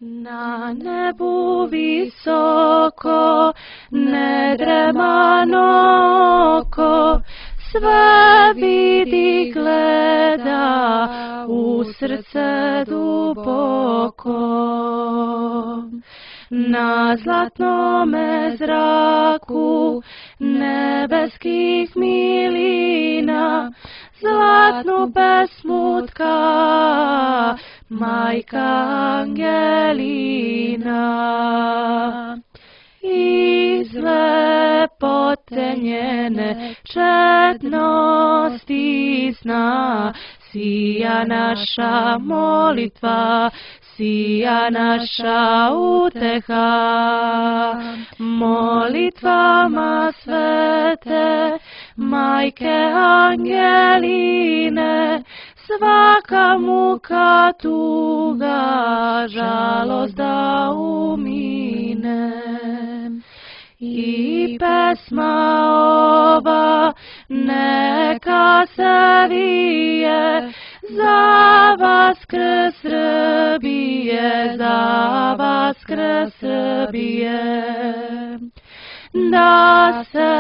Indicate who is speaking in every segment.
Speaker 1: Na nebu visoko, nedremano oko, sve vidi, gleda u srce duboko. Na zlatnome zraku nebeskih milina, zlatnu pesmu tka Majka Angelina. Iz lepote njene čednosti zna, sija naša molitva, sija naša uteha. Molitvama svete Majke Angeline, svaka muka, tuga, žalost da umine. I pesma ova neka se vije za Vaskrs Srbije, za Vaskrs Srbije. Da se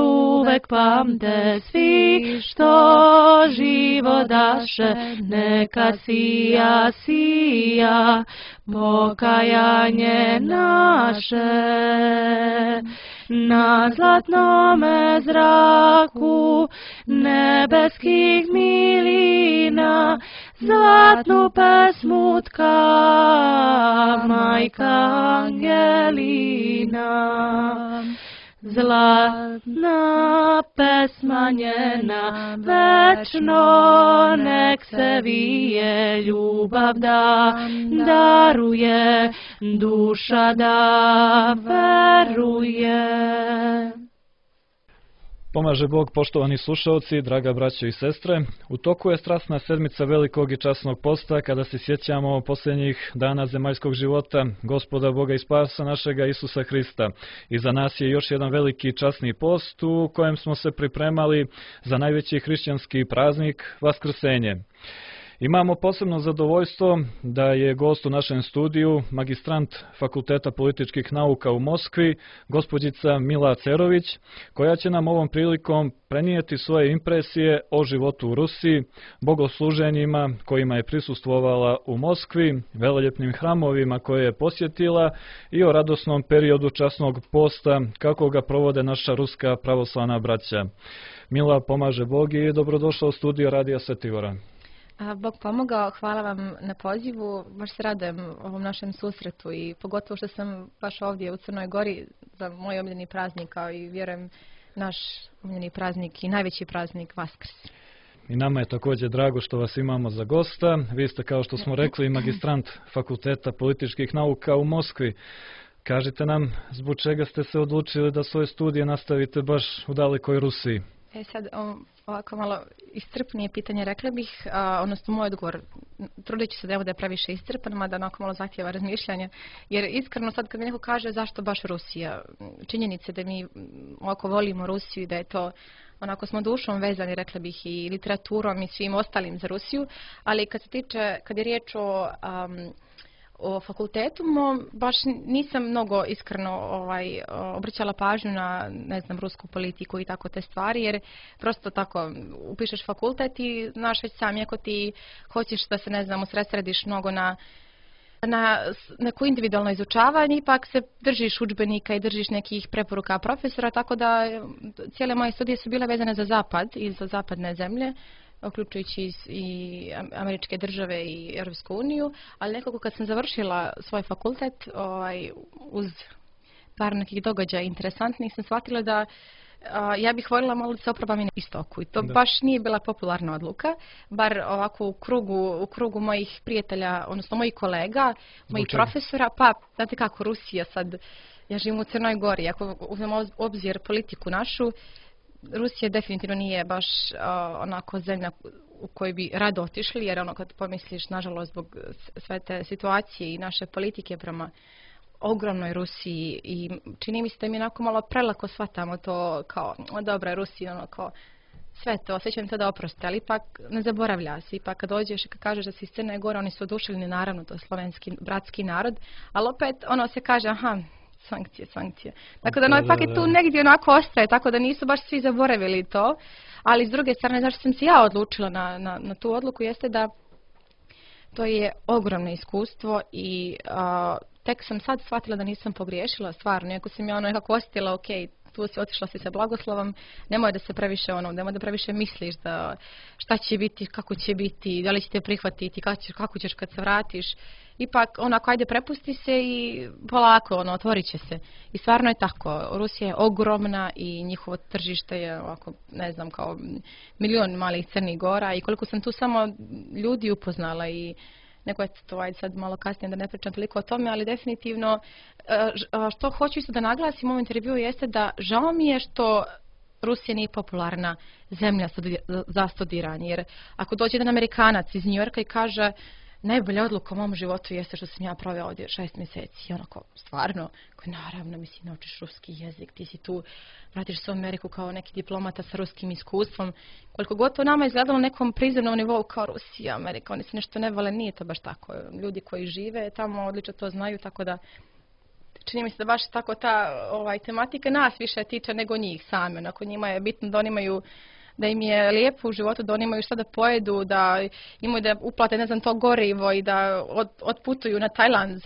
Speaker 1: uvek pamte svi što živo daše, neka sija, sija pokajanje naše. Na zlatnome zraku nebeskih milina, zlatnu pesmu tka Majka Angelina. Zlatna pesma njena večno nek se vije, ljubav da daruje, duša da veruje.
Speaker 2: Pomaže Bog, poštovani slušalci, draga braćo i sestre. U toku je strasna sedmica velikog i časnog posta, kada se sjećamo posljednjih dana zemaljskog života Gospoda Boga i spasa našega Isusa Hrista. I za nas je još jedan veliki časni post u kojem smo se pripremali za najveći hrišćanski praznik Vaskrsenje. Imamo posebno zadovoljstvo da je gost u našem studiju magistrant Fakulteta političkih nauka u Moskvi, gospođica Mila Cerović, koja će nam ovom prilikom prenijeti svoje impresije o životu u Rusiji, bogosluženjima kojima je prisustvovala u Moskvi, veleljepnim hramovima koje je posjetila i o radosnom periodu časnog posta kako ga provode naša ruska pravoslavna braća. Mila, pomaže Bog i dobrodošla u studio Radija Svetigora.
Speaker 3: Bog pomogao, hvala vam na pozivu, baš se radujem ovom našem susretu i pogotovo što sam baš ovdje u Crnoj Gori za moj omiljeni praznik, kao i vjerujem naš omiljeni praznik i najveći praznik Vaskrs.
Speaker 2: I nama je također drago što vas imamo za gosta. Vi ste, kao što smo rekli, magistrant Fakulteta političkih nauka u Moskvi. Kažite nam, zbog čega ste se odlučili da svoje studije nastavite baš u dalekoj Rusiji?
Speaker 3: Sad, ovako malo iscrpnije pitanje, rekla bih, odnosno moj odgovor, trudit ću se da je previše iscrpan, mada onako malo zahtjeva razmišljanja, jer iskreno sad kad mi neko kaže zašto baš Rusija, činjenice da mi ovako volimo Rusiju i da je to, onako smo dušom vezani, rekla bih, i literaturom i svim ostalim za Rusiju, ali kad je riječ o fakultetu, baš nisam mnogo iskreno obraćala pažnju na, ne znam, rusku politiku i tako te stvari, jer prosto tako upišeš fakultet i znaš već sam, ako ti hoćeš da se, ne znam, usredsrediš mnogo na neko individualno izučavanje, ipak se držiš udžbenika i držiš nekih preporuka profesora, tako da cijele moje studije su bile vezane za zapad i za zapadne zemlje, uključujući i Američke države i Europsku uniju, ali nekako kad sam završila svoj fakultet, uz par nekih događaja interesantnih, sam shvatila da ja bih voljela malo da se oprobam i na istoku. I to baš nije bila popularna odluka, bar ovako u krugu mojih prijatelja, odnosno mojih kolega, mojih profesora. Pa, znate kako, Rusija sad, ja živim u Crnoj Gori, ako uzmemo u obzir politiku našu, Rusija definitivno nije baš onako zemlja u kojoj bi rado otišli, jer ono kad pomisliš, nažalost, zbog sve te situacije i naše politike prema ogromnoj Rusiji, i čini mi se da mi onako malo prelako shvatamo to kao, dobra, Rusija, ono kao, sve to, sve će im to da oproste, ali ipak ne zaboravlja se. Ipak kad dođeš i kad kažeš da si iz Crne Gore, oni su oduševljeni, naravno, to je slovenski, bratski narod, ali opet ono se kaže, aha, sankcije. Tako da ipak je tu negdje onako ostaje, tako da nisu baš svi zaboravili to, ali s druge strane, zašto sam se ja odlučila na tu odluku, jeste da to je ogromno iskustvo i tek sam sad shvatila da nisam pogriješila, stvarno, iako sam ja nekako osjetila, ok, tu si otišla si sa blagoslovom, nemoj da se previše nemoj da previše misliš da šta će biti, kako će biti, da li će te prihvatiti, kako ćeš kad se vratiš. Ipak, onako, ajde, prepusti se i polako, otvorit će se. I stvarno je tako. Rusija je ogromna i njihovo tržište je, ovako, ne znam, kao milion malih Crnih Gora i koliko sam tu samo ljudi upoznala i neko je to, ajde sad malo kasnije da ne pričam toliko o tome, ali definitivno što hoću isto da naglasim u ovom intervjuu jeste da žao mi je što Rusija nije popularna zemlja za studiranje, jer ako dođe jedan Amerikanac iz Njujorka i kaže najbolja odluka u mom životu jeste što sam ja proveo ovdje 6 mjeseci. I onako, stvarno, naravno, mislim, naučiš ruski jezik, ti si tu, vratiš se u Ameriku kao neki diplomata sa ruskim iskustvom. Koliko god to nama izgledalo na nekom prizemnom nivou kao Rusija, Amerika, oni se nešto ne vole, nije to baš tako. Ljudi koji žive tamo odlično to znaju, tako da čini mi se da baš tako ta tematika nas više tiče nego njih same. Onako, njima je bitno da oni imaju, da im je lijepo u životu, da oni imaju šta da pojedu, da imaju da uplate, ne znam, to gorivo i da otputuju na Tajland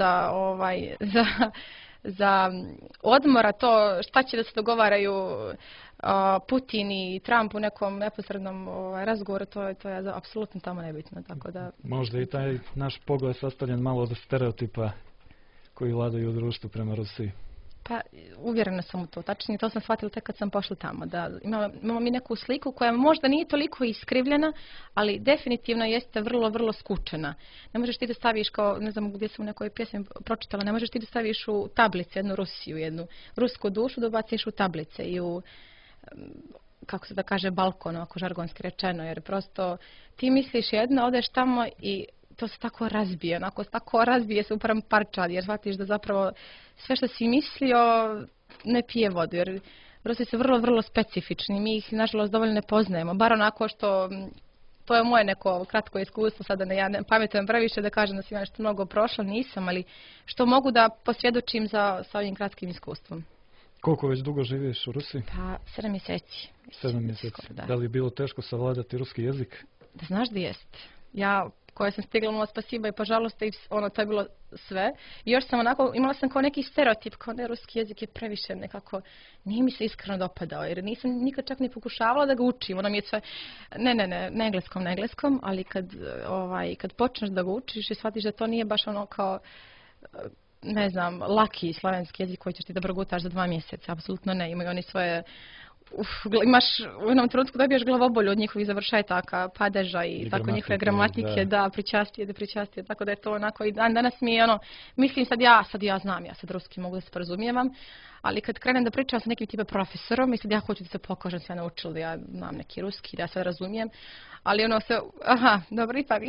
Speaker 3: za odmora, to šta će da se dogovaraju Putin i Trump u nekom neposrednom razgovoru, to je apsolutno tamo nebitno. Tako da...
Speaker 2: Možda i taj naš pogled sastavljen malo od stereotipa koji vladaju u društvu prema Rusiji.
Speaker 3: Pa, uvjerena sam u to. Tačnije, to sam shvatila tek kad sam pošla tamo. Da imamo mi neku sliku koja možda nije toliko iskrivljena, ali definitivno jeste vrlo, vrlo skučena. Ne možeš ti da staviš, kao, ne znam gdje sam u nekoj pjesmi pročitala, ne možeš ti da staviš u tablice jednu Rusiju, jednu rusku dušu, da ubaciš u tablice i u, kako se da kaže, balkon, ako žargonski rečeno, jer prosto ti misliš jedno, odeš tamo i to se tako razbije, tako razbije se upravo parčad, jer shvatiš da zapravo sve što si mislio ne pije vodu, jer Rusi su vrlo, vrlo specifični, mi ih nažalost dovoljno ne poznajemo, bar onako što, to je moje neko kratko iskustvo, sada ja ne pametujem previše da kažem da sam nešto mnogo prošla, nisam, ali što mogu da posvjedočim sa ovim kratkim iskustvom.
Speaker 2: Koliko već dugo živiš u Rusiji?
Speaker 3: Pa, 7 mjeseci.
Speaker 2: 7 mjeseci. Da li je bilo teško savladati ruski jezik?
Speaker 3: Da znaš da jest. Ja koja sam stigla mola spasiba i požalost i to je bilo sve. I još sam onako, imala sam kao neki stereotip, kao ne, ruski jezik je previše nekako, nije mi se iskreno dopadao, jer nisam nikad čak ni pokušavala da ga učim. Ono mi je sve, ne engleskom, ali kad počneš da ga učiš i shvatiš da to nije baš ono kao, ne znam, laki slovenski jezik koji ćeš ti da progutaš za 2 mjeseca, apsolutno ne, imaju oni svoje, imaš u jednom trenutku dobiješ glavobolju od njihovih završetaka, padeža i tako njihove gramatike, da, pričastije, tako da je to onako i danas mi je ono, mislim sad ja znam, ja sad ruski mogu da se porazumijevam, ali kad krenem da pričam sa nekim tipa profesorom i sad ja hoću da se pokažem sve naučila da ja znam neki ruski, da ja sve razumijem, ali ono se, dobro, ipak,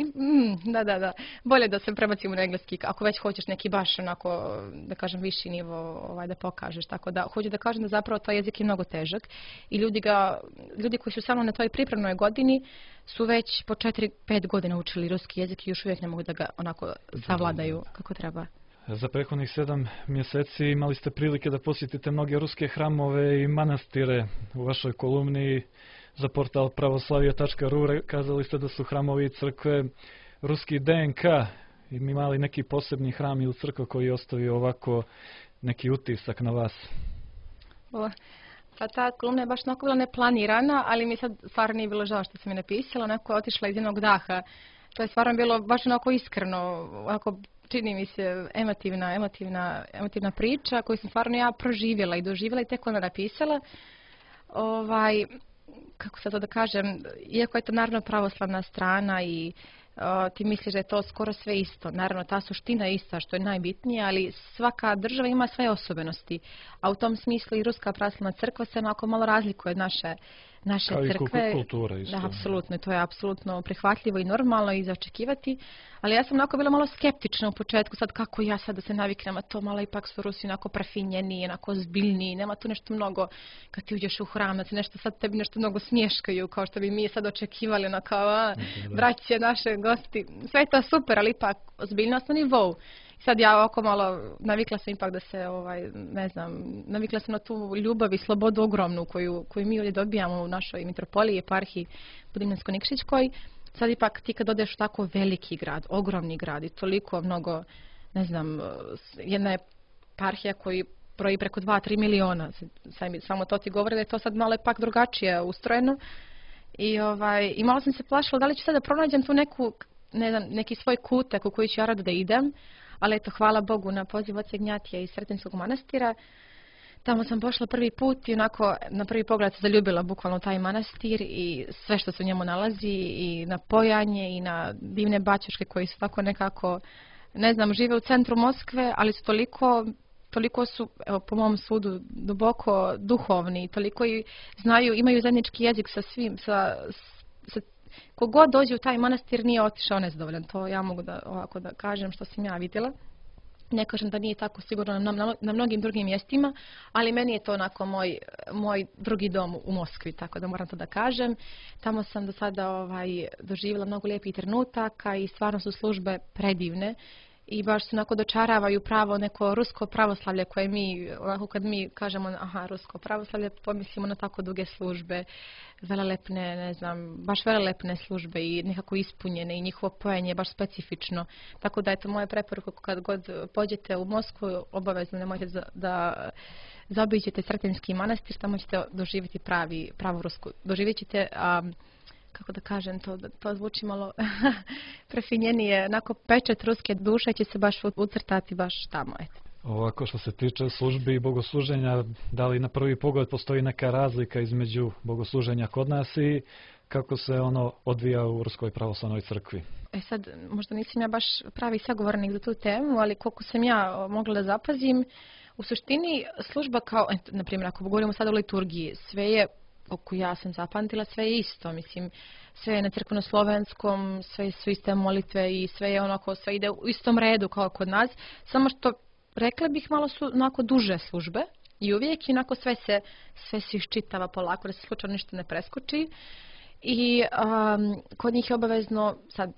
Speaker 3: da, bolje da se prebacimo na engleski, ako već hoćeš neki baš onako, da kažem, viši nivo da pokažeš, tako da hoću da kažem da zapravo taj jezik je mnogo težak i ljudi koji su samo na toj pripremnoj godini su već po 4-5 godina učili ruski jezik i još uvijek ne mogu da ga onako savladaju kako treba.
Speaker 2: Za prethodnih 7 mjeseci imali ste prilike da posjetite mnoge ruske hramove i manastire. U vašoj kolumni za portal pravoslavija.ru kazali ste da su hramovi i crkve ruski DNK. Imali neki posebni hram ili crkva koji je ostavio ovako neki utisak na vas?
Speaker 3: Pa ta kolumna je baš onako bila neplanirana, ali mi sad stvarno nije bilo žao što sam je napisala. Onako je otišla iz jednog daha. To je stvarno bilo baš onako iskreno, onako čini mi se emotivna priča koju sam stvarno ja proživjela i doživjela i tek onda napisala. Kako sad to da kažem, iako je to naravno pravoslavna strana i ti misliš da je to skoro sve isto. Naravno, ta suština je ista što je najbitnije, ali svaka država ima svoje osobenosti. A u tom smislu i Ruska pravoslavna crkva se onako malo razlikuje od naše
Speaker 2: Kao
Speaker 3: crkve.
Speaker 2: I kultura isto.
Speaker 3: Da, apsolutno, to je apsolutno prihvatljivo i normalno i za očekivati. Ali ja sam onako bila malo skeptična u početku, sad kako ja sad da se naviknem, a to malo ipak su Rusi onako prefinjeni, onako zbiljni, nema tu nešto mnogo, kad ti uđeš u hram, da se nešto sad tebi nešto mnogo smješkaju, kao što bi mi sad očekivali, ono kao, braće, naše gosti, sve je to super, ali ipak ozbiljnost na nivou. Sad ja ovako malo navikla sam ipak da se, ne znam, navikla sam na tu ljubav i slobodu ogromnu koju mi ovdje dobijamo u našoj mitropoliji, eparhiji Budimljansko-Nikšićkoj. Sad ipak ti kad odeš u tako veliki grad, ogromni grad i toliko mnogo, ne znam, jedna je eparhija koji broji preko 2-3 miliona, samo to ti govori da je to sad malo ipak drugačije ustrojeno. I malo sam se plašila da li ću sad da pronađem tu neku, ne znam, neki svoj kutak u koji ću ja rado da idem. Ali eto, hvala Bogu, na poziv oca Ignjatija iz Sretenskog manastira. Tamo sam pošla prvi put i onako na prvi pogled se zaljubila bukvalno taj manastir i sve što se u njemu nalazi i na pojanje i na divne baćuške koji su tako nekako, ne znam, žive u centru Moskve, ali su toliko su, evo, po mom sudu, duboko duhovni, toliko i znaju, imaju zajednički jezik sa svim, kogod dođe u taj manastir nije otišao nezadovoljan. To ja mogu ovako da kažem što sam ja vidjela. Ne kažem da nije tako sigurno na mnogim drugim mjestima, ali meni je to onako moj drugi dom u Moskvi, tako da moram to da kažem. Tamo sam do sada doživjela mnogo lijepih trenutaka i stvarno su službe predivne. I baš se onako dočaravaju pravo neko rusko pravoslavlje koje mi, onako kad mi kažemo rusko pravoslavlje, pomislimo na tako duge službe, velelepne, ne znam, baš velelepne službe i nekako ispunjene i njihovo pojenje je baš specifično. Tako da je to moja preporuka kad god pođete u Moskvu, obavezno nemojte da zaobiđete Sretenski manastir, tamo ćete doživjeti pravu rusku. Doživjet ćete kako da kažem, to zvuči malo prefinjenije, onako pečat ruske duše će se baš ucrtati baš tamo. Eto.
Speaker 2: Ovako što se tiče službi i bogosluženja, da li na prvi pogled postoji neka razlika između bogosluženja kod nas i kako se ono odvija u Ruskoj pravoslavnoj crkvi?
Speaker 3: Sad, možda nisam ja baš pravi sagovornik za tu temu, ali koliko sam ja mogla da zapazim, u suštini služba kao, na primjer, ako govorimo sada o liturgiji, sve je, oko ja sam zapamtila, sve je isto, mislim, sve je na crkveno-slovenskom, sve su iste molitve i sve je onako, sve ide u istom redu kao kod nas, samo što rekla bih malo su onako duže službe i uvijek onako sve se iščitava polako da se slučajno ništa ne preskoči i kod njih je obavezno, sad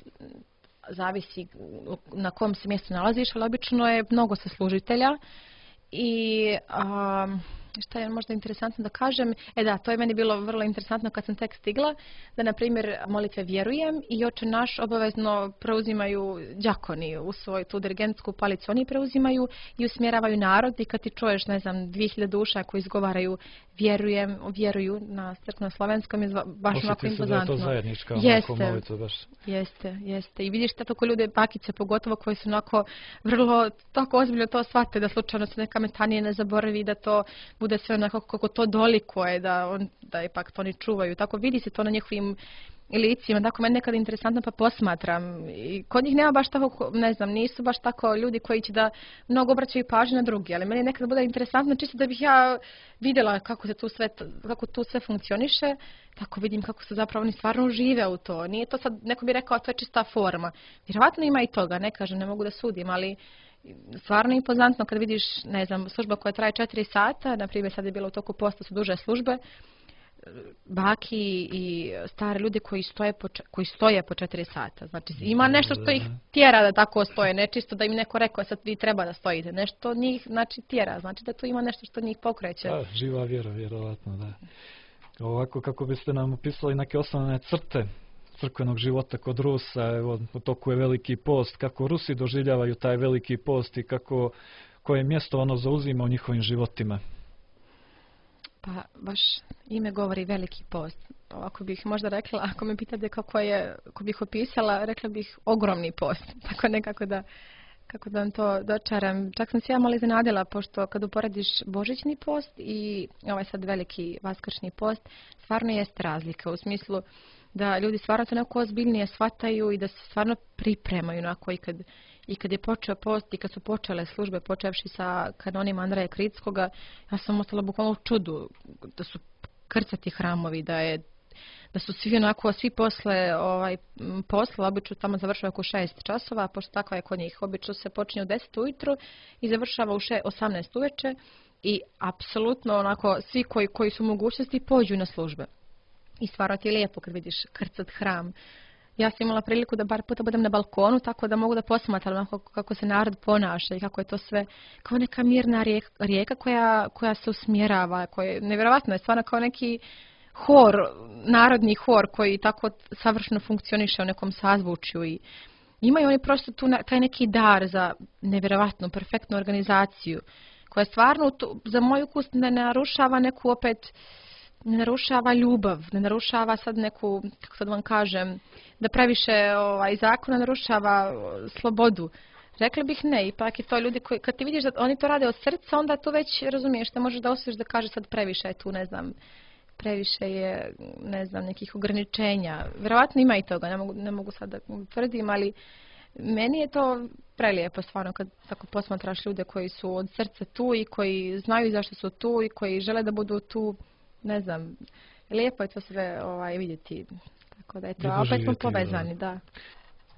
Speaker 3: zavisi na kom se mjestu nalaziš, ali obično je mnogo saslužitelja i šta je možda interesantno da kažem, to je meni bilo vrlo interesantno kad sam tek stigla, da na primjer molitve vjerujem i Oče naš obavezno preuzimaju đakoni u svoju tu dirigentsku palicu, oni preuzimaju i usmjeravaju narod i kad ti čuješ, ne znam, 2000 duša koji izgovaraju vjeruju na crkveno-slovenskom je baš onako impozantno.
Speaker 2: Osjeti se da je to zajednička molitva baš.
Speaker 3: Jeste. I vidiš tako ljude, bakice pogotovo, koji su onako vrlo tako ozbiljno to shvate, da slučajno se neka metanije ne zaboravi, da to bude sve onako kako to dolikuje, da ipak to ne čuvaju. Tako vidi se to na njihovim licima, tako meni nekada interesantno pa posmatram. I kod njih nema baš tako, ne znam, nisu baš tako ljudi koji će da mnogo obraćaju pažnju na drugi, ali meni nekada bude interesantno čisto da bih ja vidjela kako tu sve funkcioniše, tako vidim kako se zapravo oni stvarno žive u to. Nije to sad, neko bi rekao, to je čista forma. Vjerovatno ima i toga, ne kažem, ne mogu da sudim, ali stvarno impozantno kad vidiš, ne znam, služba koja traje 4 sata, na primjer sad je bilo u toku posta su duže službe, baki i stare ljudi koji stoje po 4 sata. Znači ima nešto što ih tjera da tako stoje, ne čisto da im neko rekao sad vi treba da stojite. Nešto njih znači tjera, znači da tu ima nešto što njih pokreće.
Speaker 2: Da, živa vjera, vjerovatno, da. Ovako kako biste nam opisali neke osnovne crte crkvenog života kod Rusa, evo, u toku je veliki post, kako Rusi doživljavaju taj veliki post i koje mjesto ono zauzima u njihovim životima?
Speaker 3: Pa baš ime govori veliki post. Ako bih možda rekla, ako me pitate kako bih opisala, rekla bih ogromni post. Tako nekako kako da vam to dočaram. Čak sam se ja malo iznenadila, pošto kad uporediš božićni post i ovaj sad veliki vaskršnji post, stvarno jeste razlika u smislu da ljudi stvarno to neko ozbiljnije shvataju i da se stvarno pripremaju onako i kad je počeo post i kad su počele službe, počevši sa kanonima Andreja Kritskoga, ja sam ostala bukvalno u čudu da su krcati hramovi, da su svi onako, svi posle posla, obično tamo završava oko 6 časova, pošto takva je kod njih. Obično se počinje u 10 ujutru i završava u 18 uveče i apsolutno onako svi koji su u mogućnosti pođu na službe. I stvarno ti je lijepo kad vidiš krcat hram. Ja sam imala priliku da bar puta budem na balkonu, tako da mogu da posmatram kako se narod ponaša i kako je to sve kao neka mirna rijeka koja se usmjerava, nevjerovatno je stvarno kao neki hor, narodni hor koji tako savršeno funkcioniše u nekom sazvučju i imaju oni prosto tu taj neki dar za nevjerovatnu, perfektnu organizaciju koja stvarno za moj ukus ne narušava neku opet, ne narušava ljubav, ne narušava sad neku, kako sad vam kažem, da previše zakona narušava slobodu. Rekla bih ne, ipak je to ljudi koji, kad ti vidiš da oni to rade od srca, onda to već razumiješ, te možeš da osjetiš da kaže sad previše je tu, ne znam, previše je, ne znam, nekih ograničenja. Vjerovatno ima i toga, ne mogu sad da tvrdim, ali meni je to prelijepo stvarno kad tako posmatraš ljude koji su od srca tu i koji znaju zašto su tu i koji žele da budu tu, ne znam, lijepo je to sve vidjeti. Tako da je to, opet smo povezani, da.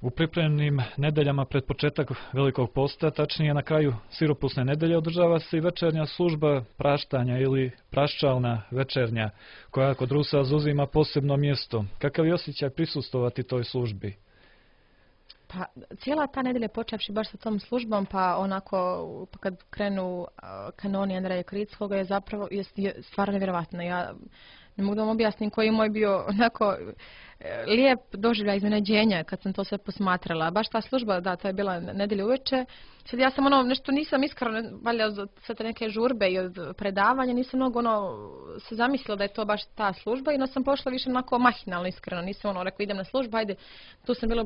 Speaker 2: U pripremnim nedeljama pred početak Velikog posta, tačnije na kraju siropusne nedelje, održava se i večernja služba praštanja ili praščalna večernja, koja kod Rusa zauzima posebno mjesto. Kakav je osjećaj prisustvovati toj službi?
Speaker 3: Pa cijela ta nedelja počevši baš sa tom službom, pa onako kad krenu kanoni Andreja Krickoga je zapravo stvarno nevjerovatno. Ja ne mogu da vam objasnim koji je moj bio onako lijep doživljaj iznenađenja kad sam to sve posmatrala. Baš ta služba, da, to je bila nedelja uveče. Sad ja sam nešto nisam iskreno, valjda od sve te neke žurbe i od predavanja, nisam mnogo se zamislila da je to baš ta služba i sam pošla više onako mahinalno iskreno. Nisam rekao idem na službu, ajde, tu sam bila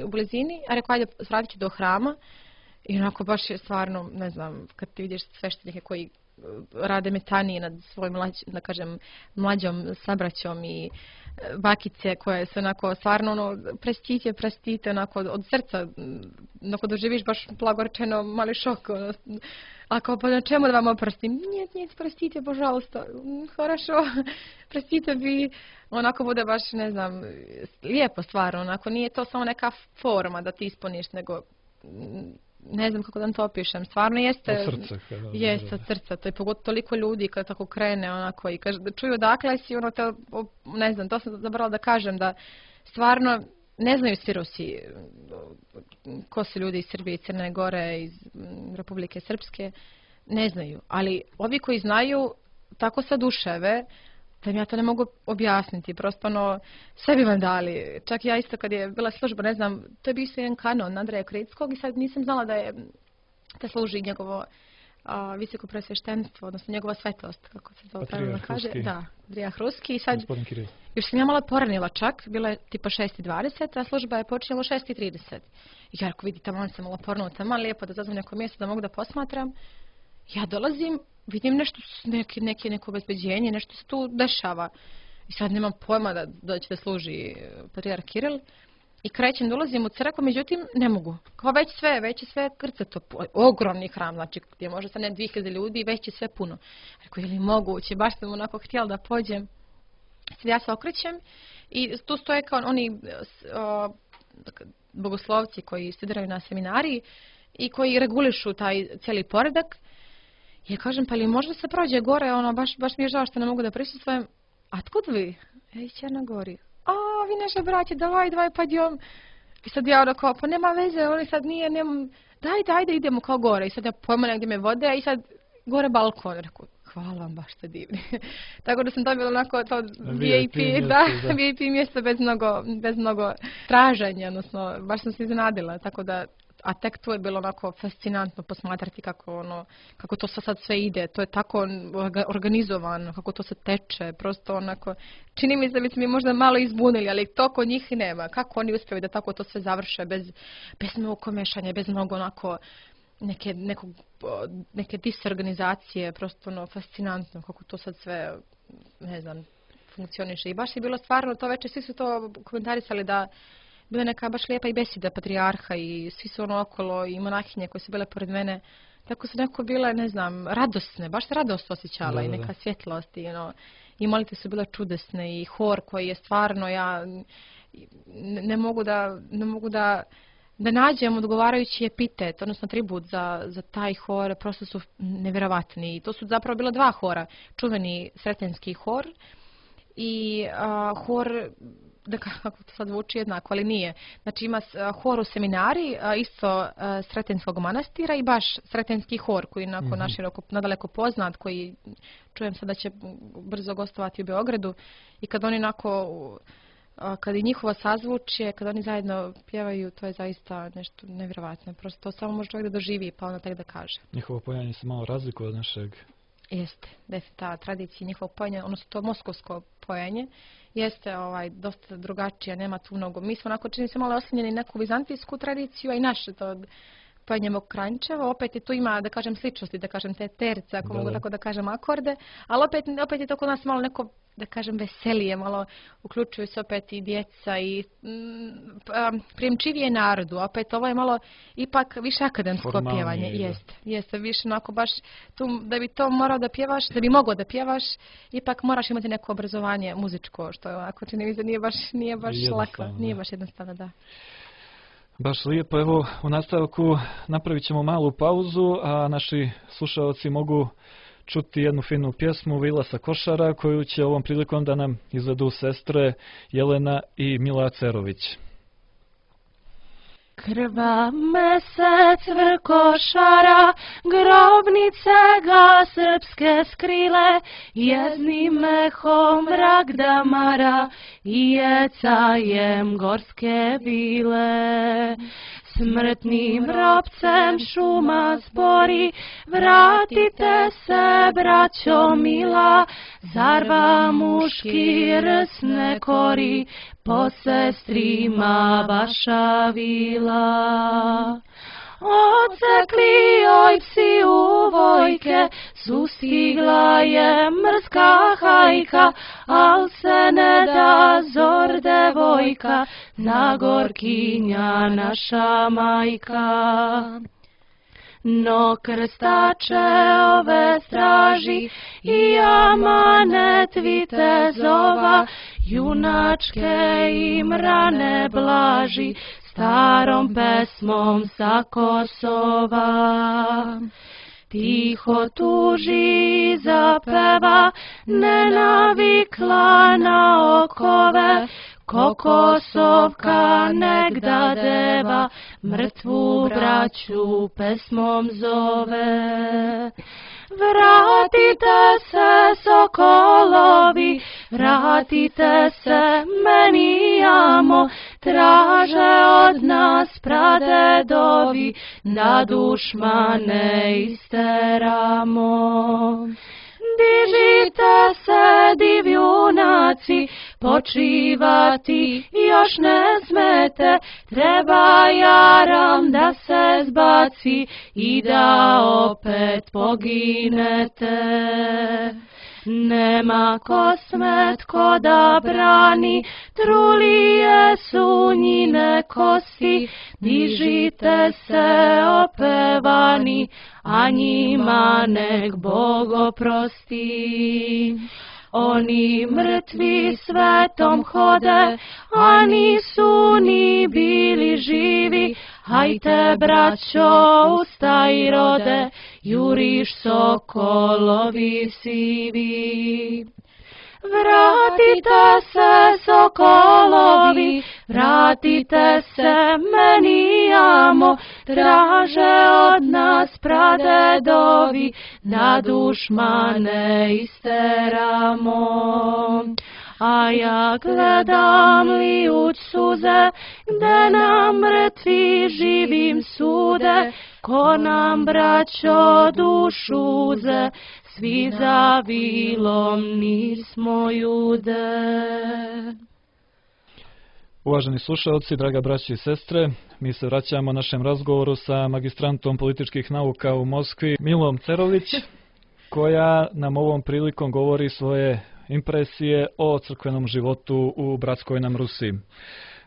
Speaker 3: u blizini, a rekao ajde vratit ću do hrama. I onako baš je stvarno, ne znam, kad ti vidiš sveštenike koji rade metanije nad svojim, da kažem, mlađom sabraćom i bakice koje se onako stvarno prestite onako od srca, onako doživiš baš blagorečeno mali šok. Ako pa na čemu da vam oprstim? Nijet, prostite, božalsta. Хорошо, prostite bi. Onako bude baš, ne znam, lijepo stvarno. Onako nije to samo neka forma da ti ispuniš, nego ne znam kako da to opišem. Stvarno jeste.
Speaker 2: Od srca.
Speaker 3: Jeste, od srca. To je pogotovo toliko ljudi kad tako krene onako i kaže, da čuju odakle si, ne znam, to sam zaboravila da kažem, da stvarno ne znaju svi Rusi ko su ljudi iz Srbije, Crne Gore, iz Republike Srpske, ne znaju. Ali ovi koji znaju tako se duševe da im ja to ne mogu objasniti. Prosto sve bi vam dali. Čak ja isto kad je bila služba, ne znam, to je bio jedan kanon Andreja Krickog i sad nisam znala da služi njegovo visoko presveštenstvo, odnosno njegova svetost, kako se to pravilno kaže. Da, Patrijarh Ruski. I sad, još sam ja malo poranila čak, bilo je tipa 6:20, a služba je počela u 6:30. I ja ako vidite, tamo sam malo pornuta, malo lijepo da zazvam neko mjesto da mogu da posmatram. Ja dolazim, vidim nešto, neko obezbeđenje, nešto se tu dešava. I sad nemam pojma da će da služi Patrijarh Kiril. I krećem, dolazim u crkvu, međutim ne mogu. Kao već je sve krcato. Ogromni hram, znači gdje može stane 2000 ljudi, već je sve puno. Rekao, je li moguće? Baš sam onako htjela da pođem. Sad ja se okrećem i tu stoje kao oni bogoslovci koji studiraju na seminariji i koji regulišu taj cijeli poredak. Ja kažem, pa li možda se prođe gore, baš mi je žao što ne mogu da prisustvujem. A tkud vi? Iz Černogori. A, vi naše braće, davaj, pa idem. I sad ja onako, pa nema veze, oni sad dajde, idemo kao gore. I sad ja pojma negdje me vode, i sad gore balkon. Rekao, hvala vam, baš ste divni. Tako da sam dobila onako to VIP mjesto bez mnogo traženja, odnosno baš sam se iznenadila, tako da. A tek tu je bilo onako fascinantno posmatrati kako to sad sve ide. To je tako organizovano, kako to se teče. Prosto onako, čini mi se da bi mi možda malo izbunili, ali to kod njih nema. Kako oni uspiju da tako to sve završe bez mnogo komešanja, bez mnogo onako neke disorganizacije. Prosto fascinantno kako to sad sve, ne znam, funkcioniše. I baš je bilo stvarno to večer, svi su to komentarisali da bila neka baš lijepa i besida patrijarha i svi su ono okolo i monahinje koje su bile pored mene. Tako su neko bile, ne znam, radosne, baš se radost osjećala i neka svjetlost i molite su bile čudesne i hor koji je stvarno, ja ne mogu da nađem odgovarajući epitet, odnosno tribut za taj hor, prosto su nevjerovatni. I to su zapravo bila dva hora, čuveni Sretenski hor i hor, da kako to sad zvuči jednako, ali nije. Znači ima hor u seminari, isto Sretenskog manastira i baš Sretenski hor koji je naširoko, nadaleko poznat, koji čujem sad da će brzo gostovati u Beogradu i kad oni kad i njihovo sazvučje, kad oni zajedno pjevaju, to je zaista nešto nevjerovatno. Prosto to samo može čovjek da doživi pa onda tek da kaže.
Speaker 2: Njihovo pojanje se malo razlikuje od našeg.
Speaker 3: Jeste, ta tradicija njihovog pojenja, odnosno to moskovsko pojenje, jeste dosta drugačija, nema tu mnogo. Mi smo onako čini se malo oslanjeni neku vizantijsku tradiciju, a i naše to pojenje Mokranjčevo, opet je tu ima, da kažem, sličnosti, da kažem, te terce, ako mogu tako da kažem, akorde, ali opet je to kod nas malo neko, da kažem, veselije, malo uključuju se opet i djeca i prijemčivije narodu, opet ovo je malo ipak više akademsko pjevanje, jeste više onako baš tu, da bi to morao da pjevaš, da bi mogao da pjevaš, ipak moraš imati neko obrazovanje muzičko, što je ovako čini mi se nije baš lako, nije baš jednostavno, da.
Speaker 2: Baš lijepo, evo u nastavku napravit ćemo malu pauzu, a naši slušalci mogu čuti jednu finu pjesmu Vila sa Košara koju će ovom prilikom da nam izvedu sestre Jelena i Mila Cerović.
Speaker 1: Krva mesec vrkošara, grobnice ga srpske skrile, jeznim mehom mrak damara i jecajem gorske vile. Smrtnim ropcem šuma zbori, vratite se, braćo mila, zar vam muški rs ne kori, po sestrima vaša vila. Odsekli oj psi u vojke, sustigla je mrska hajka, al se ne da zor devojka, Zagorkinja naša majka. No krstače ove straži i amanet vitezova, junačke im rane blaži, starom pesmom sa Kosova. Tiho tuži i zapeva, nenavikla na okove, ko Kosovka negda deva, mrtvu braću pesmom zove. Vratite se, sokolovi, vratite se, meni amo, traže od nas pradedovi, da dušmane isteramo. Dižite se, divjunaci, počivati još ne smete, treba jaram da se zbaci i da opet poginete. Nema kosmet ko da brani, trulije su njine kosti, dižite se opevani, a njima nek Bog oprosti. Oni mrtvi svetom hode, a nisu ni bili živi, hajte braćo ustaj rode, juriš sokolovi sivi. Vratite se, sokolovi, vratite se, meni amo, traže od nas pradedovi, da dušmane isteramo. A ja gledam lijuć suze, gde nam mrtvi živim sude, ko nam braćo dušu uze, svi za vilom nismo jude.
Speaker 2: Uvaženi slušalci, draga braći i sestre, mi se vraćamo našem razgovoru sa magistrantom političkih nauka u Moskvi, Milom Cerović, koja nam ovom prilikom govori svoje impresije o crkvenom životu u bratskoj nam Rusiji.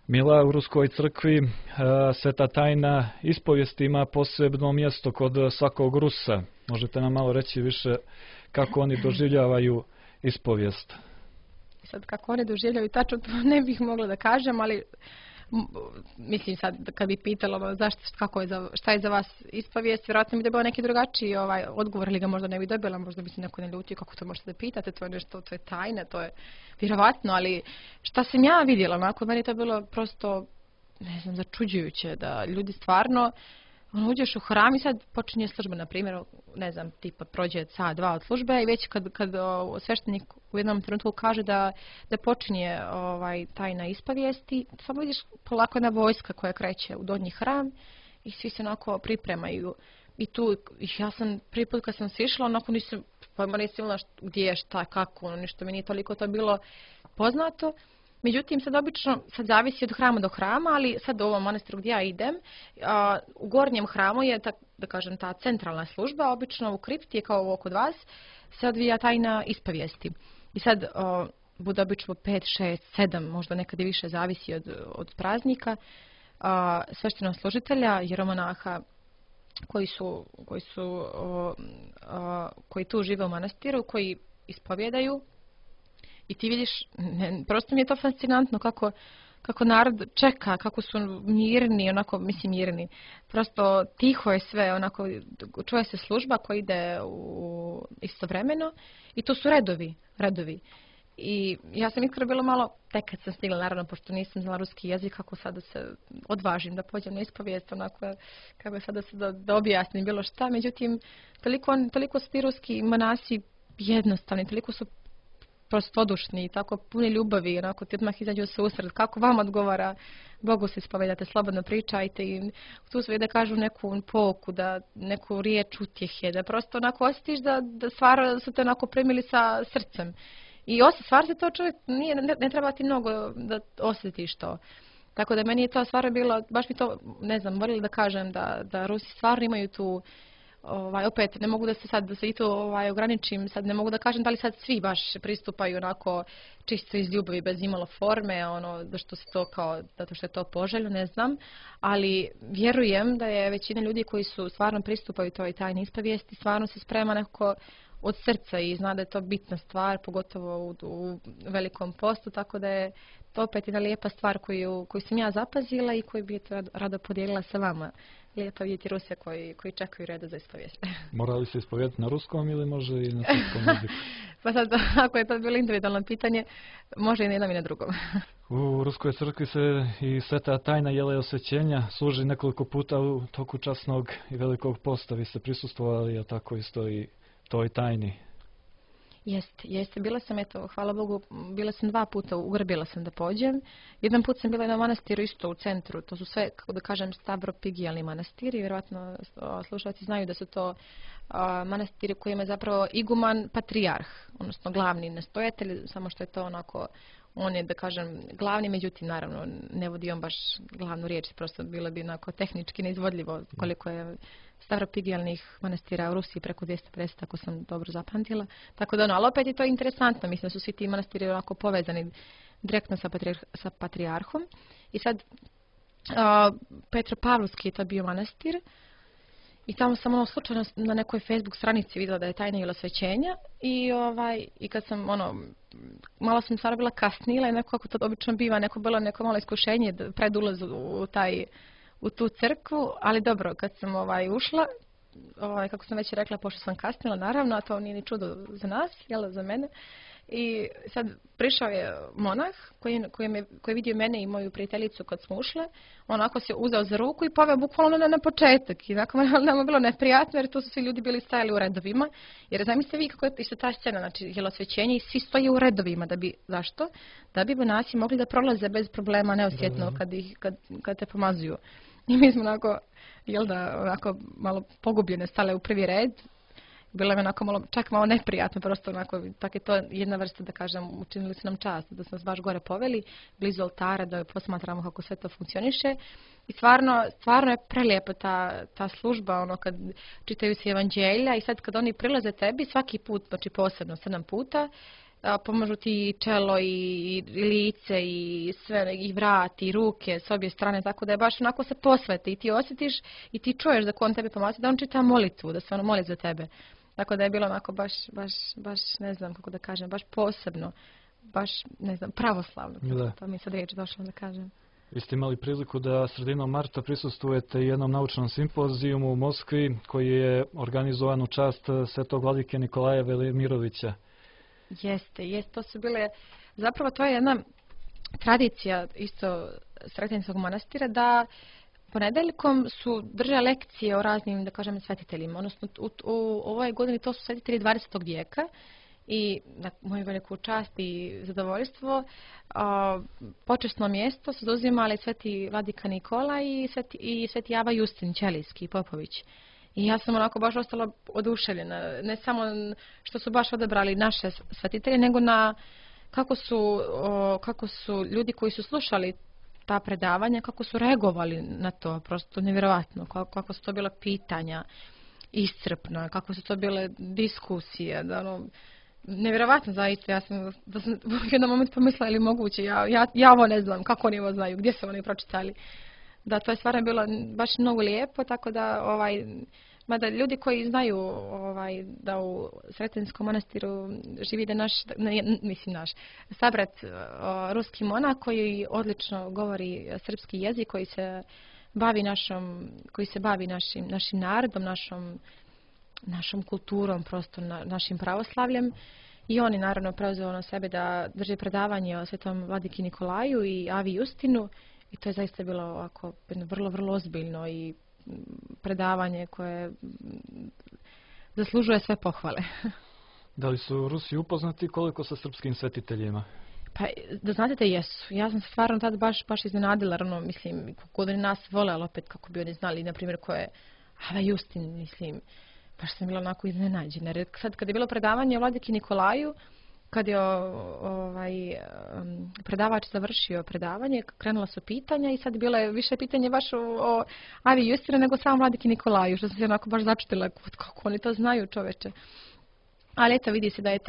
Speaker 2: Mila, u Ruskoj crkvi Sveta tajna ispovijesti ima posebno mjesto kod svakog Rusa. Možete nam malo reći više kako oni doživljavaju ispovijest?
Speaker 3: Sad kako oni doživljavaju tačno to ne bih mogla da kažem, ali mislim sad kad bi pitalo šta je za vas ispovijest, vjerojatno bi dobila neki drugačiji odgovor, ili ga možda ne bi dobila, možda bi se neko ne ljutio, kako to možete da pitate, to je nešto, to je tajna, to je vjerovatno, ali šta sam ja vidjela, onako meni to je bilo prosto, ne znam, začuđujuće da ljudi stvarno uđeš u hram i sad počinje služba, na primjer, ne znam, tipa prođe sat, dva od službe i već kad sveštenik u jednom trenutku kaže da počinje tajna ispovijesti, samo vidiš polako jedna vojska koja kreće u donji hram i svi se onako pripremaju. I tu, ja sam prvi put kad sam se išla, onako nisam imala gdje je, šta, kako, ništa mi nije toliko to bilo poznato. Međutim, sad obično, sad zavisi od hrama do hrama, ali sad u ovom manastiru gdje ja idem, u gornjem hramu je, da kažem, ta centralna služba, obično u kripti je kao ovo kod vas, se odvija tajna ispovijesti. I sad bude obično 5, 6, 7, možda nekad i više, zavisi od praznika, sveštenog služitelja, jeromonaha koji tu žive u manastiru, koji ispovjedaju. I ti vidiš, prosto mi je to fascinantno kako narod čeka, kako su mirni, onako, mislim mirni. Prosto tiho je sve, onako, čuje se služba koja ide istovremeno i to su redovi. I ja sam iskreno bila malo, tek kad sam stigla, naravno, pošto nisam znala ruski jezik, kako sada se odvažim da pođem na ispovijest, onako, kako sada se da objasnim bilo šta. Međutim, toliko su ti ruski monasi jednostavni, toliko su prostodušni, tako puni ljubavi, onako ti odmah izađu u susret, kako vam odgovara, Bogu se ispovedate, slobodno pričajte i tu sve da kažu neku pouku, da neku riječ utjehe, da prosto onako osjetiš da stvar su te onako primili sa srcem. I stvar se to čovjek, ne treba ti mnogo da osjetiš to. Tako da meni je to stvar bilo, baš mi to, ne znam, voljela da kažem da Rusi stvarno imaju tu, opet ne mogu da se i to ograničim, sad ne mogu da kažem da li sad svi baš pristupaju onako čisto iz ljubavi bez imalo forme, zato što je to poželjno, ne znam, ali vjerujem da je većina ljudi koji su stvarno pristupaju toj tajni ispovijesti, stvarno se sprema nekako od srca i zna da je to bitna stvar, pogotovo u velikom postu, tako da je to opet jedna lijepa stvar koju sam ja zapazila i koju bi rado podijelila sa vama. Lijepo vidjeti Ruse koji čekaju redu za ispovijest.
Speaker 2: Mora li se ispovjedati na ruskom ili može i na srpskom jeziku?
Speaker 3: Pa sad, ako je to bilo individualno pitanje, može i na jednom i na drugom.
Speaker 2: U Ruskoj crkvi se i sveta tajna jela i osvećenja služi nekoliko puta u toku časnog i velikog posta. Vi ste prisustvovali, a tako isto i toj tajni.
Speaker 3: Jeste. Bila sam, hvala Bogu, bila sam 2 puta, ugrabila sam da pođem. Jedan put sam bila na manastiru isto u centru, to su sve, kako da kažem, stavropigijalni manastiri. Vjerojatno slušalci znaju da su to manastiri koji ima zapravo iguman patrijarh, odnosno glavni nastojatelj, samo što je to onako, on je, da kažem, glavni, međutim, naravno, ne vodi on baš glavnu riječ, prosto bilo bi onako tehnički neizvodljivo koliko je stavropigijalnih manastira u Rusiji, preko 250, ako sam dobro zapamtila. Tako da, ali opet je to interesantno, mislim da su svi ti manastiri onako povezani direktno sa patrijarhom. I sad, Petropavlovski je to bio manastir i tamo sam slučajno na nekoj Facebook stranici vidjela da je tajna jela osvećenja i kad sam malo sam stvarno bila kasnila i nekako to obično biva, bilo neko malo iskušenje pred ulaz u tu crkvu, ali dobro, kad sam koji kako sam već rekla, pošto sam kasnila, naravno, a to nije ni čudo za nas, za mene. I sad prišao je monah koji je vidio mene i moju prijateljicu kad smo ušle, onako se uzeo za ruku i poveo bukvalno na početak. I onako nam je bilo neprijatno jer tu su svi ljudi bili stajali u redovima. Jer zamislite vi kako je isto ta scena, znači jelosvećenje i svi stoje u redovima. Zašto? Da bi monasi mogli da prolaze bez problema, neosjetno kad te pomazuju. I mi smo onako malo pogubljene stale u prvi red. Bilo je onako čak malo neprijatno, prosto onako, tako je to jedna vrsta, da kažem, učinili su nam čast, da smo nas baš gore poveli, blizu oltara, da posmatramo kako sve to funkcioniše. I stvarno je prelijepo ta služba, kad čitaju se evanđelja i sad kad oni prilaze tebi, svaki put, znači posebno 7 puta, pomažu ti čelo i lice i sve, i vrat i ruke s obje strane, tako da je baš onako se posveti i ti osjetiš i ti čuješ da ko on tebi pomaže, da on čita molitvu, da se ono moli za tebe. Tako da je bilo onako baš ne znam kako da kažem, baš posebno, baš ne znam, pravoslavno.
Speaker 2: Da.
Speaker 3: To mi sad riječ došlo da kažem.
Speaker 2: Vi ste imali priliku da sredinom marta prisustvujete jednom naučnom simpozijumu u Moskvi koji je organizovan u čast svetog vladike Nikolaja Velimirovića.
Speaker 3: Jeste, to su bile, zapravo to je jedna tradicija isto Sretenskog manastira da ponedeljkom su drže lekcije o raznim, da kažem, svetiteljima. Odnosno, u ovoj godini to su svetitelji 20. vijeka i na moju veliku čast i zadovoljstvo počasno mjesto su zauzimali sveti vladika Nikola i sveti Ava Justin Ćelijski Popović. I ja sam onako baš ostala oduševljena, ne samo što su baš odabrali naše svetitelje, nego na kako su ljudi koji su slušali ta predavanja, kako su reagovali na to, prosto nevjerovatno, kako su to bila pitanja iscrpna, kako su to bile diskusije, da ono, nevjerovatno zaista, ja sam u jednom momentu pomislila ili moguće, ja ovo ne znam, kako oni ovo znaju, gdje su oni pročitali. Da, to je stvarno bilo baš mnogo lijepo, tako da mada ljudi koji znaju da u Sretenskom manastiru živi da naš sabrat ruski monah koji odlično govori srpski jezik, koji se bavi našim narodom, našom kulturom, prosto našim pravoslavljem. I oni naravno preuzeo na sebe da drže predavanje o svetom vladiki Nikolaju i Avi Justinu. I to je zaista bilo ovako vrlo, vrlo ozbiljno i predavanje koje zaslužuje sve pohvale.
Speaker 2: Da li su Rusi upoznati koliko sa srpskim svetiteljima?
Speaker 3: Pa, da znate da jesu. Ja sam se stvarno tad baš iznenadila, mislim, kako oni nas vole, ali opet kako bi oni znali, na primjer, ko je Ava Justin, mislim, baš sam bila onako iznenađena. Jer sad, kad je bilo predavanje o vladiki Nikolaju, kad je predavač završio predavanje, krenula su pitanja i sad bilo je više pitanje baš o Avi Justinu nego samo vladiki Nikolaju, što sam se onako baš začutila kako oni to znaju, čoveče. Ali eto, vidi se da je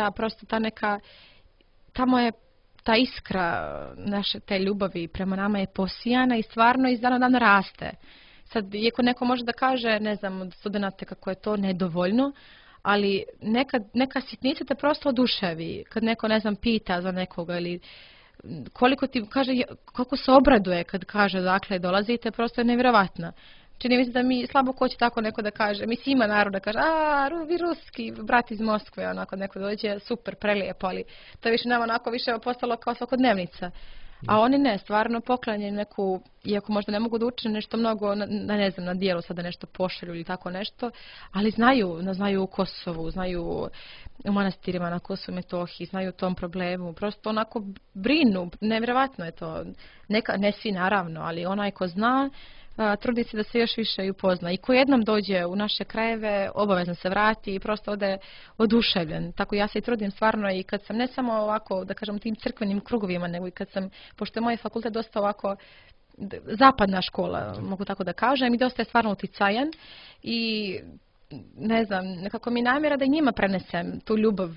Speaker 3: tamo je ta iskra naše te ljubavi prema nama je posijana i stvarno iz dana u dan raste. Sad, iako neko može da kaže, ne znam, od studenata kako je to nedovoljno, ali neka sitnica te prosto oduševi. Kad neko, ne znam, pita za nekoga ili koliko ti kaže, koliko se obraduje kad kaže dakle dolazite, prosto je nevjerovatno. Čini mi se da mi slabo ko će tako neko da kaže, mislim ima narod da kaže, vi ruski, brat iz Moskve, onako neko dođe, super, prelijepo, ali to je više nama onako više postalo kao svakodnevnica. A oni ne, stvarno poklanjaju neku, iako možda ne mogu da učine nešto mnogo, ne znam, na dijelu sada nešto pošalju ili tako nešto, ali znaju u Kosovu, znaju u manastirima na Kosovu i Metohiji, znaju o tom problemu, prosto onako brinu, nevjerovatno je to, ne svi naravno, ali onaj ko zna, trudi se da se još više upozna. I ko jednom dođe u naše krajeve, obavezno se vrati i prosto ode oduševljen. Tako ja se i trudim stvarno i kad sam ne samo ovako, da kažem, tim crkvenim krugovima, nego i kad sam, pošto je moj fakultet dosta ovako zapadna škola, mogu tako da kažem, i dosta je stvarno uticajan i ne znam, nekako mi namjera da i njima prenesem tu ljubav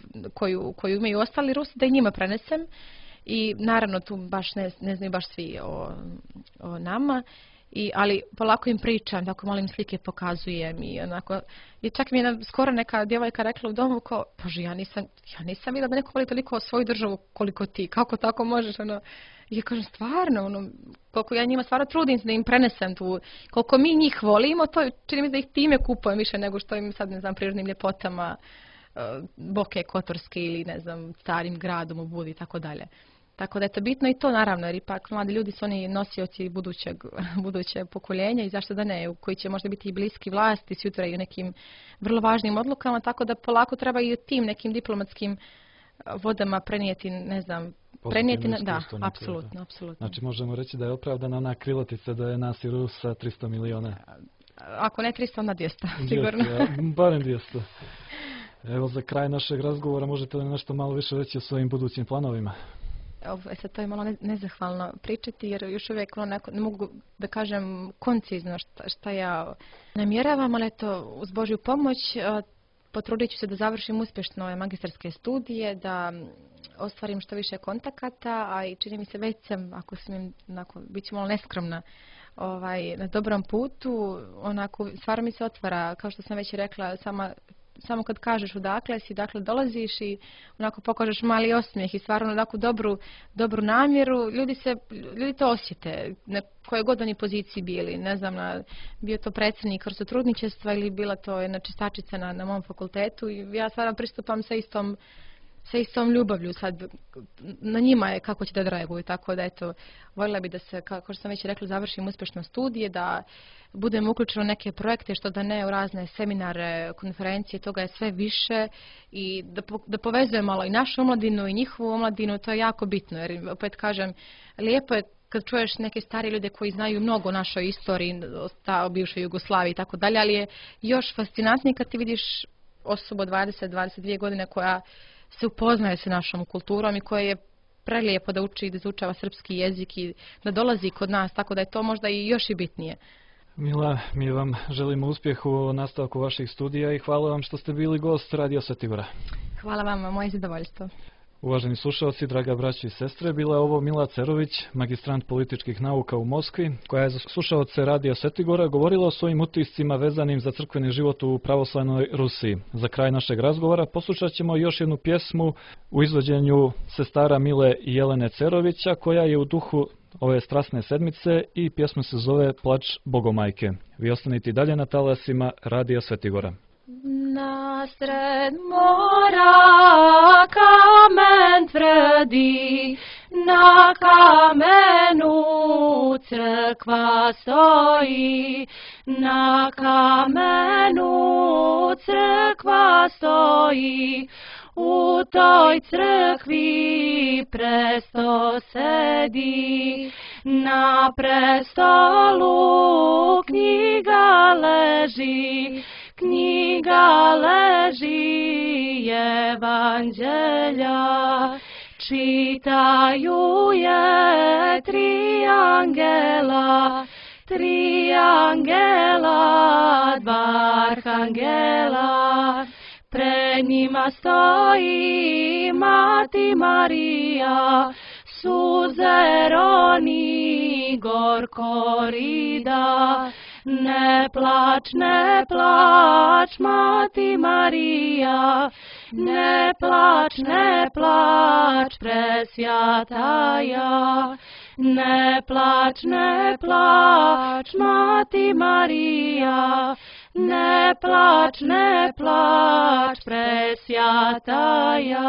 Speaker 3: koju imaju ostali Rusi, da i njima prenesem i naravno tu baš ne znaju baš svi o nama. Ali polako im pričam, tako malo im slike pokazujem i onako, i čak mi je skoro neka djevojka rekla u domu kao, bože, ja nisam vidjela da neko voli toliko svoju državu koliko ti, kako tako možeš, ono, i ja kažem, stvarno, koliko ja njima stvarno trudim se da im prenesem tu, koliko mi njih volimo, to čini mi da ih time kupujem više nego što im sad, ne znam, prirodnim ljepotama Boke Kotorske ili, ne znam, starim gradom u Budi i tako dalje. Tako da je to bitno i to naravno, jer ipak mladi ljudi su oni nosioci buduće pokoljenja i zašto da ne, koji će možda biti i bliski vlasti sutra i u nekim vrlo važnim odlukama, tako da polako treba i u tim nekim diplomatskim vodama prenijeti, ne znam, da, apsolutno.
Speaker 2: Znači možemo reći da je opravdana ona krilatica da je nas i Rusa 300 miliona.
Speaker 3: Ako ne 300, onda 200, sigurno.
Speaker 2: Barem 200. Evo za kraj našeg razgovora možete li nešto malo više reći o svojim budućim planovima?
Speaker 3: Sad to je malo nezahvalno pričati jer još uvijek ne mogu da kažem koncizno šta ja namjeravam, ali eto uz Božju pomoć potrudit ću se da završim uspješno ove magistarske studije, da ostvarim što više kontakata, a i čini mi se već sam, ako smijem, bit ću malo neskromna, na dobrom putu, stvarno mi se otvara, kao što sam već rekla, samo kad kažeš odakle si, dakle dolaziš i pokažeš mali osmijeh i stvarno dobru namjeru, ljudi to osjete, koje god oni poziciji bili, ne znam, bio to predsjednik trudničestva ili bila to jedna čistačica na mom fakultetu i ja stvarno pristupam sa istom ljubavlju, sad na njima je kako će da reaguju, tako da eto, voljela bi da se, kao što sam već rekla, završim uspješno studije, da budem uključena u neke projekte, što da ne u razne seminare, konferencije, toga je sve više i da povezujemo malo i našu omladinu i njihovu omladinu, to je jako bitno, jer opet kažem, lijepo je kad čuješ neke stari ljude koji znaju mnogo o našoj istoriji, o bivšoj Jugoslaviji i tako dalje, ali je još fascinantnije kad ti vidiš osobu od 20-22 godine koja se upoznaje sa našom kulturom i koje je prelijepo da uči i da izučava srpski jezik i da dolazi kod nas, tako da je to možda i još i bitnije.
Speaker 2: Mila, mi vam želimo uspjeh u nastavku vaših studija i hvala vam što ste bili gost Radio Svetigora.
Speaker 3: Hvala vam, moje zadovoljstvo.
Speaker 2: Uvaženi slušalci, draga braćo i sestre, bila je ovo Mila Cerović, magistrant političkih nauka u Moskvi, koja je za slušalce Radija Svetigora govorila o svojim utiscima vezanim za crkveni život u pravoslavnoj Rusiji. Za kraj našeg razgovora poslušat ćemo još jednu pjesmu u izvođenju sestara Mile i Jelene Cerovića, koja je u duhu ove strasne sedmice i pjesma se zove Plač Bogomajke. Vi ostanite i dalje na talasima Radija Svetigora.
Speaker 1: Nasred mora kamen tvrdi, na kamenu crkva stoji, na kamenu crkva stoji, u toj crkvi presto sedi, na prestolu knjiga leži, knjiga leži evanđelja, čitaju je tri angela, dva arhangela. Pred njima stoji Mati Marija, suze roni gorko rida. Ne plač, Mati Marija, ne plač, presvjataja. Ne plač, Mati Marija, ne plač, presvjataja.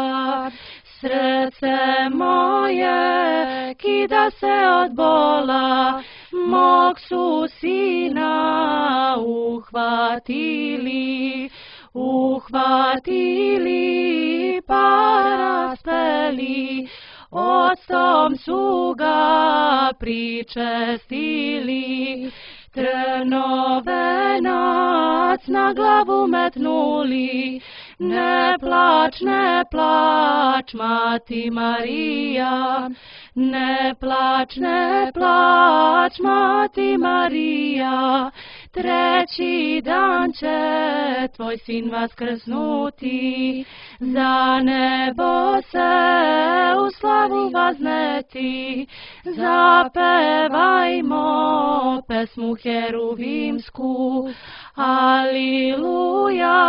Speaker 1: Srce moje kida se od bola, mog su sina uhvatili pa raspeli, octom su ga pričestili. Trnovenac na glavu metnuli, ne plač, Mati Marija, ne plač, Mati Marija, treći dan će tvoj sin vaskrsnuti, za nebo se u slavu vazneti, zapevajmo pesmu heruvimsku. Aliluja,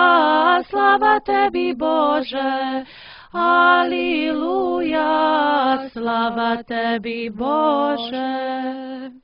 Speaker 1: slava tebi Bože, aliluja, slava tebi Bože.